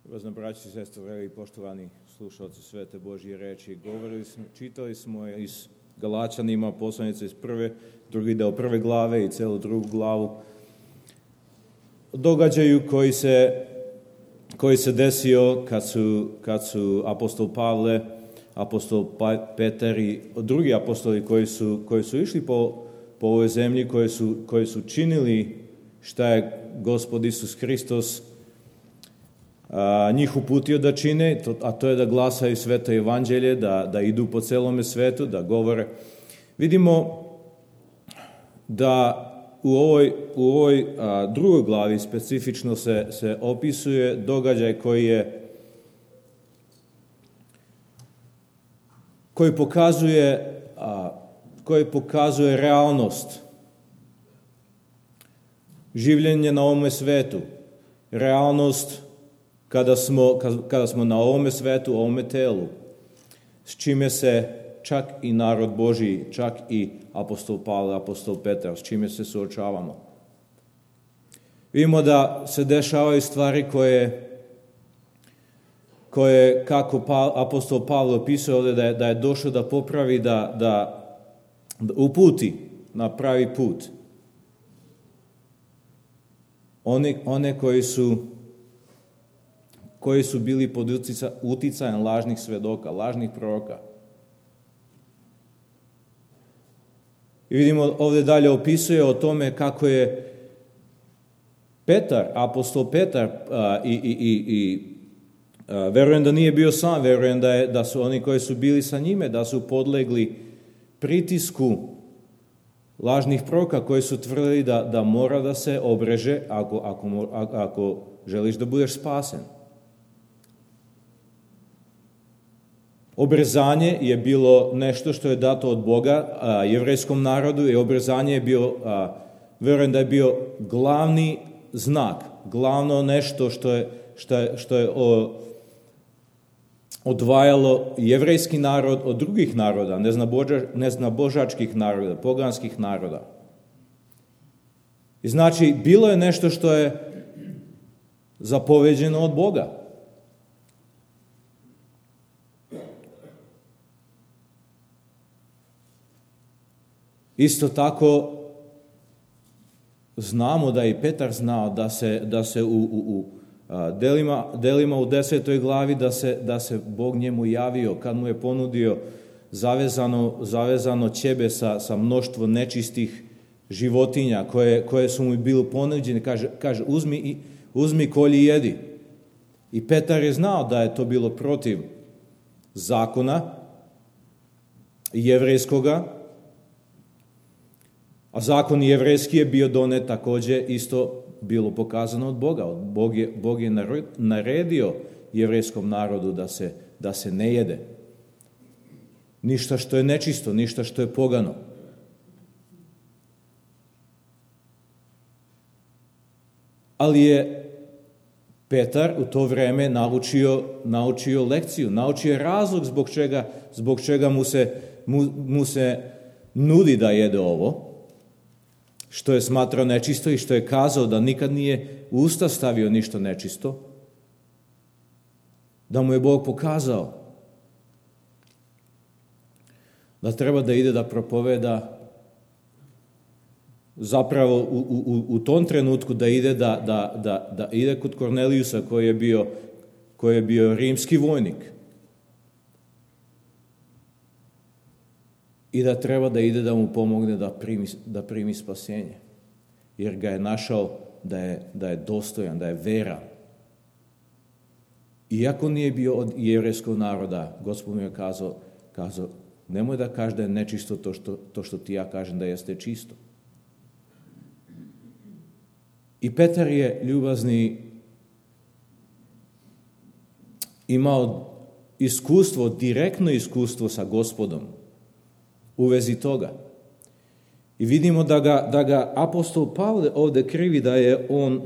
Ljubazna braći i sestre, dragi poštovani slušalci Svete Božje reči, čitali smo iz Galačanima, poslanice iz drugi deo prve glave i celu drugu glavu, događaju koji se desio kad su apostol Pavle, apostol Petar i drugi apostoli koji su išli po ovoj zemlji, koji su činili šta je Gospod Isus Hristos njih uputio da čine, a to je da glasaju sveto evanđelje, da idu po celome svetu, da govore. Vidimo da u ovoj drugoj glavi specifično se opisuje događaj koji pokazuje realnost življenja na ovome svetu, realnost kada smo na ovome svetu, ovome telu, s čime se čak i narod Božji, čak i apostol Pavle, apostol Petar, s čime se suočavamo. Vidimo da se dešavaju stvari koje kako apostol Pavle opisuje ovdje, da je došao da popravi, da uputi na pravi put one koji su bili pod uticajem lažnih svedoka, lažnih proroka. I vidimo ovdje dalje opisuje o tome kako je Petar, apostol Petar, i verujem da nije bio sam, verujem da su oni koji su bili sa njime, da su podlegli pritisku lažnih proroka koji su tvrdili da mora da se obreže ako želiš da budeš spasen. Obrezanje je bilo nešto što je dato od Boga jevrejskom narodu i obrezanje je bio, verujem da je bio glavni znak, glavno nešto što je odvajalo jevrejski narod od drugih naroda, neznabožačkih naroda, poganskih naroda. I znači, bilo je nešto što je zapoveđeno od Boga. Isto tako znamo da je i Petar znao da se u delima u 10. glavi da se Bog njemu javio kad mu je ponudio zavezano ćebe sa mnoštvo nečistih životinja koje su mu bili ponuđene. Kaže uzmi, kolji, jedi. I Petar je znao da je to bilo protiv zakona jevrejskoga, a zakon jevrejski je bio donet također isto bilo pokazano od Boga. Bog je naredio jevrejskom narodu da se ne jede. Ništa što je nečisto, ništa što je pogano. Ali je Petar u to vreme naučio lekciju, naučio je razlog zbog čega mu se nudi da jede ovo, što je smatrao nečisto i što je kazao da nikad nije u usta stavio ništa nečisto, da mu je Bog pokazao da treba da ide da propoveda, zapravo u tom trenutku da ide da ide kod Kornelijusa koji je bio rimski vojnik i da treba da ide da mu pomogne da primi spasenje, jer ga je našao da je dostojan, da je veran. Iako nije bio od jevrejskog naroda, Gospod mu je kazao, nemoj da kažeš da je nečisto to što ti ja kažem da jeste čisto. I Petar je ljubazni imao direktno iskustvo sa Gospodom u vezi toga. I vidimo da ga apostol Pavle ovdje krivi da je on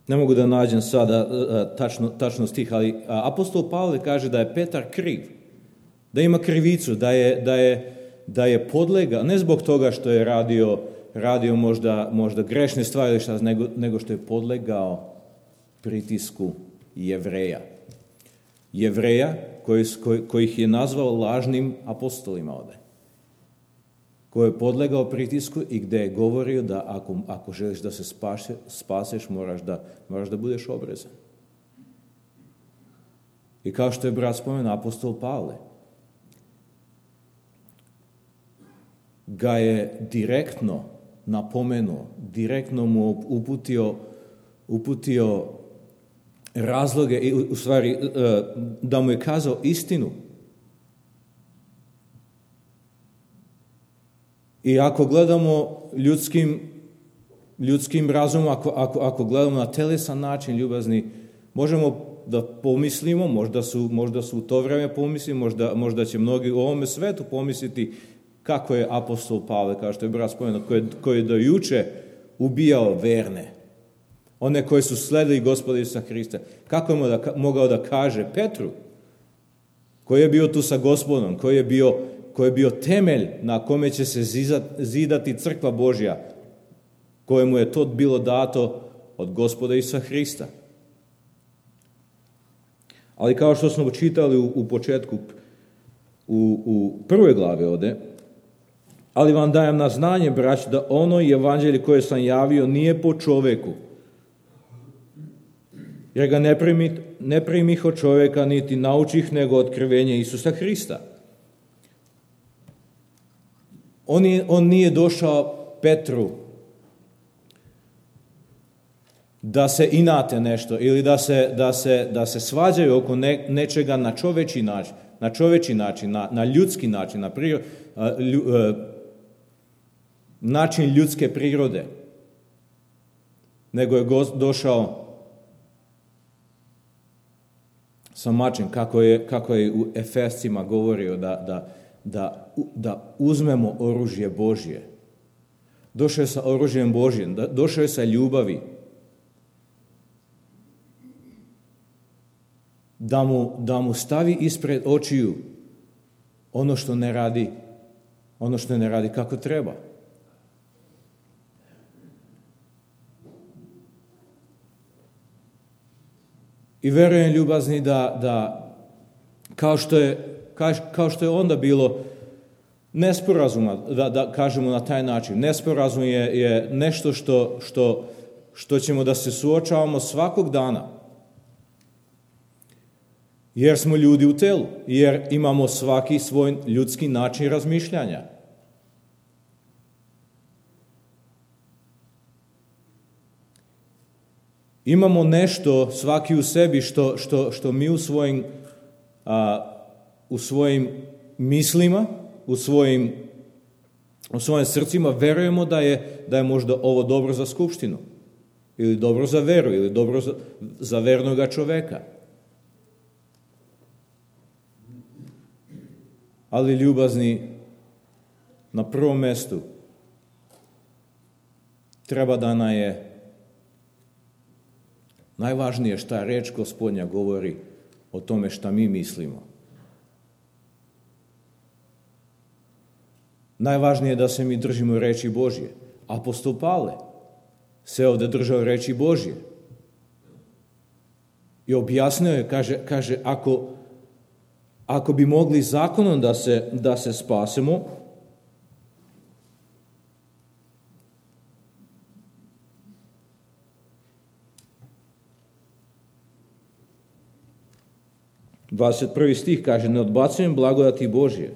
Ne mogu da nađem sada tačno stih, ali apostol Pavle kaže da je Petar kriv, da ima krivicu, da je podlegao, ne zbog toga što je radio možda grešne stvari, nego što je podlegao pritisku Jevreja. Jevreja kojih je nazvao lažnim apostolima ovde. Koji je podlegao pritisku i gde je govorio da ako želiš da se spaseš, moraš da budeš obrezan. I kao što je brat spomenuo, apostol Pavle ga je direktno napomenuo, direktno mu uputio razloge, i u stvari da mu je kazao istinu. I ako gledamo ljudskim razumom, ako gledamo na telesan način, ljubazni, možemo da pomislimo, možda su u to vreme pomislili, možda će mnogi u ovome svetu pomisliti kako je apostol Pavle, kao što je brat spomenuo, koji je do juče ubijao verne, one koji su sledili Gospoda Isusa Hrista. Kako je mogao da kaže Petru, koji je bio tu sa Gospodom, koji je bio temelj na kome će se zidati crkva Božja, kojemu je to bilo dato od Gospoda Isusa Hrista. Ali kao što smo čitali u početku, u prvoj glavi ovde, ali vam dajem na znanje, braći, da ono evanđelje koje sam javio nije po čoveku, jer ga ne primih od čoveka, niti naučih, nego otkrivenje Isusa Hrista. On nije došao Petru da se inate nešto ili da se svađaju oko nečega na čoveči način, na ljudski način, način ljudske prirode, nego je došao sa mačem, kako je u Efescima govorio da uzmemo oružje Božje. Došao je sa oružjem Božjem, došao je sa ljubavi. Da mu stavi ispred očiju ono što ne radi kako treba. I verujem, ljubazni, da kao što je onda bilo nesporazuma, da kažemo na taj način, nesporazum je nešto što ćemo da se suočavamo svakog dana. Jer smo ljudi u telu, jer imamo svaki svoj ljudski način razmišljanja. Imamo nešto svaki u sebi što mi u svojim mislima, u svojim srcima verujemo da je možda ovo dobro za skupštinu, ili dobro za veru, ili dobro za vernoga čoveka. Ali ljubazni, na prvom mestu treba da nam je najvažnije šta reč Gospodnja govori o tome šta mi mislimo. Najvažnije je da se mi držimo reči Božje. Apostol Pavle se ovde držao reči Božje. I objasnio je, kaže ako bi mogli zakonom da se spasemo, ...21. stih kaže, ne odbacujem blagodati Božje,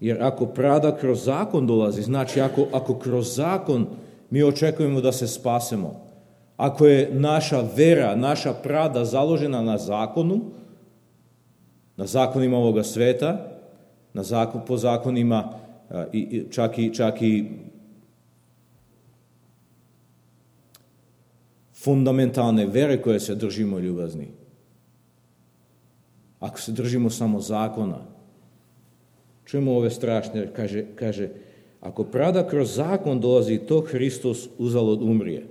jer ako pravda kroz zakon dolazi, znači ako kroz zakon mi očekujemo da se spasemo, ako je naša vera, naša pravda založena na zakonu, na zakonima ovoga sveta, po zakonima čak i fundamentalne vere koje se držimo, ljubazni. Ako se držimo samo zakona, čujemo ove strašne, kaže, ako pravda kroz zakon dolazi, to Hristos uzalud umrije.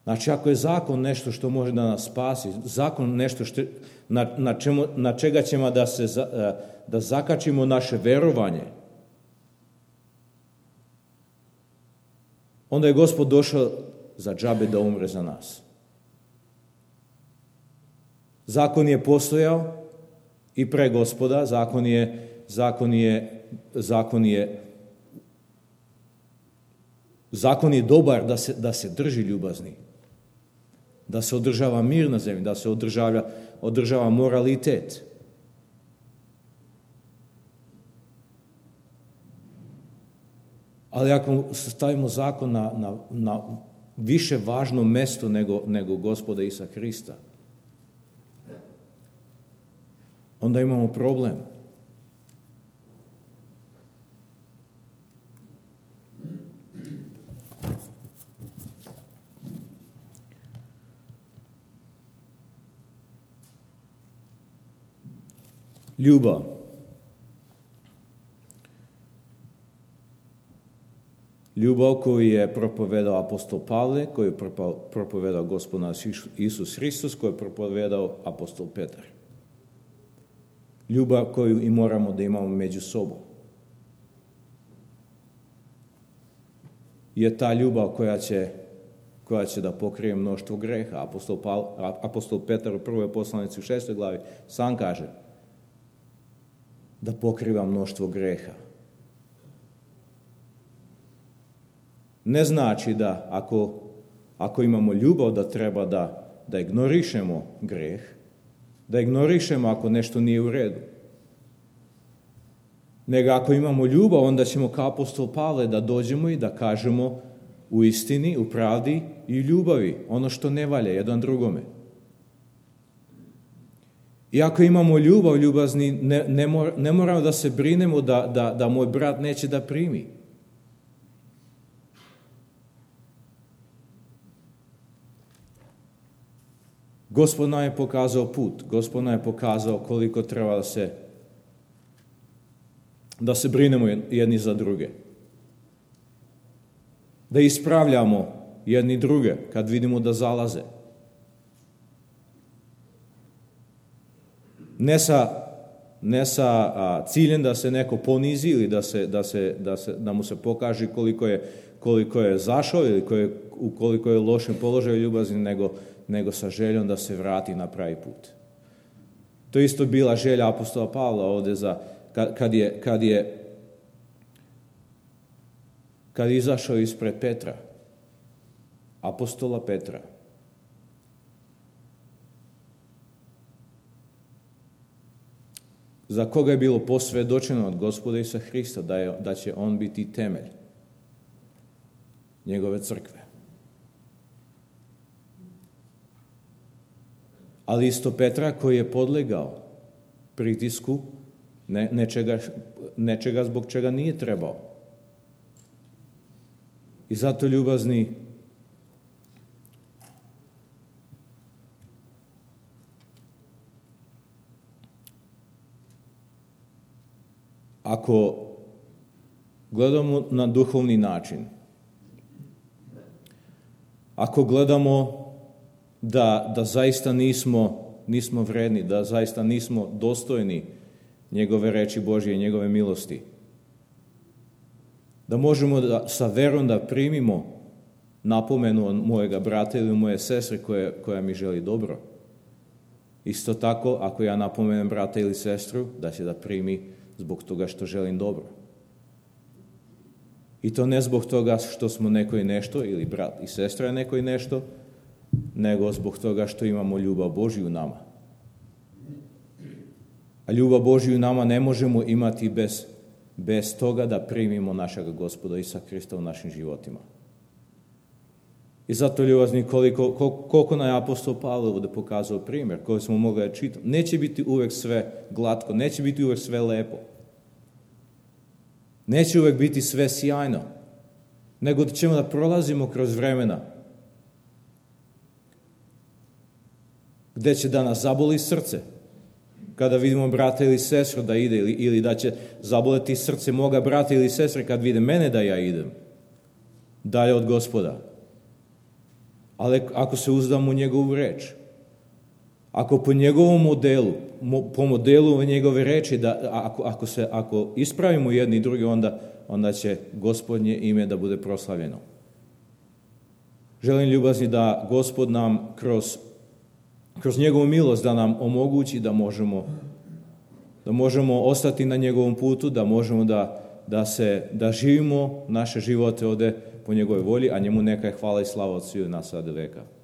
Znači, ako je zakon nešto što može da nas spasi, zakon nešto na čega ćemo da zakačimo naše verovanje, onda je Gospod došao za džabe da umre za nas. Zakon je postojao i pre Gospoda, zakon je dobar da se drži ljubazni, da se održava mir na zemlji, da se održava moralitet. Ali ako stavimo zakon na više važno mesto nego Gospoda Isusa Hrista, onda imamo problem. Ljubav. Ljubav koju je propovedao apostol Pavle, koju je propovedao Gospod naš Isus Hristos, koju je propovedao apostol Petar. Ljubav koju i moramo da imamo među sobom. Je ta ljubav koja će da pokrije mnoštvo greha. Apostol Petar u prvoj poslanici u 6. glavi sam kaže da pokriva mnoštvo greha. Ne znači da ako imamo ljubav da treba da ignorišemo greh, da ignorišemo ako nešto nije u redu. Nego ako imamo ljubav, onda ćemo kao apostol Pavle da dođemo i da kažemo u istini, u pravdi i ljubavi ono što ne valja jedan drugome. I ako imamo ljubazni, ne moramo da se brinemo da moj brat neće da primi. Gospod nam je pokazao put, Gospod nam je pokazao koliko treba da se brinemo jedni za druge. Da ispravljamo jedni druge kad vidimo da zalaze. Ne sa ciljem da se neko ponizi ili da mu se pokaže koliko je zašao ili koliko je lošem položaju ljubazni, nego sa željom da se vrati na pravi put. To je isto bila želja apostola Pavla ovdje kad je izašao ispred Petra, apostola Petra. Za koga je bilo posvjedočeno od Gospoda Isusa Hrista da će on biti temelj njegove crkve. Ali isto Petra koji je podlegao pritisku nečega zbog čega nije trebao. I zato ljubazni, ako gledamo na duhovni način, ako gledamo da zaista nismo vredni, da zaista nismo dostojni njegove reči Božje i njegove milosti, da možemo sa verom da primimo napomenu od mojega brata ili moje sestre koja mi želi dobro. Isto tako, ako ja napomenem brata ili sestru, da će da primi zbog toga što želim dobro. I to ne zbog toga što smo neko i nešto, ili brat i sestra je neko i nešto, nego zbog toga što imamo ljubav Božju u nama. A ljubav Božju u nama ne možemo imati bez toga da primimo našeg Gospoda Isusa Hrista u našim životima. I zato ljubazni, koliko nam je apostol Pavle ovdje pokazao primjer koji smo mogli čitati. Neće biti uvek sve glatko, neće biti uvek sve lepo. Neće uvek biti sve sjajno, nego da ćemo da prolazimo kroz vremena gde će da nas zaboli srce kada vidimo brata ili sestru da ide, ili da će zaboleti srce moga brata ili sestre kad vide mene da ja idem dalje od Gospoda. ali ako se uzdamo u njegovu reč, ako po njegovom modelu, po modelu njegove reči, da ako ispravimo jedni i drugi, onda će Gospodnje ime da bude proslavljeno. Želim, ljubazni, da Gospod nam kroz njegovu milost da nam omogući da možemo ostati na njegovom putu, da možemo da živimo naše živote ovde po njegovoj volji, a njemu neka je hvala i slava od sviju nas sada veka.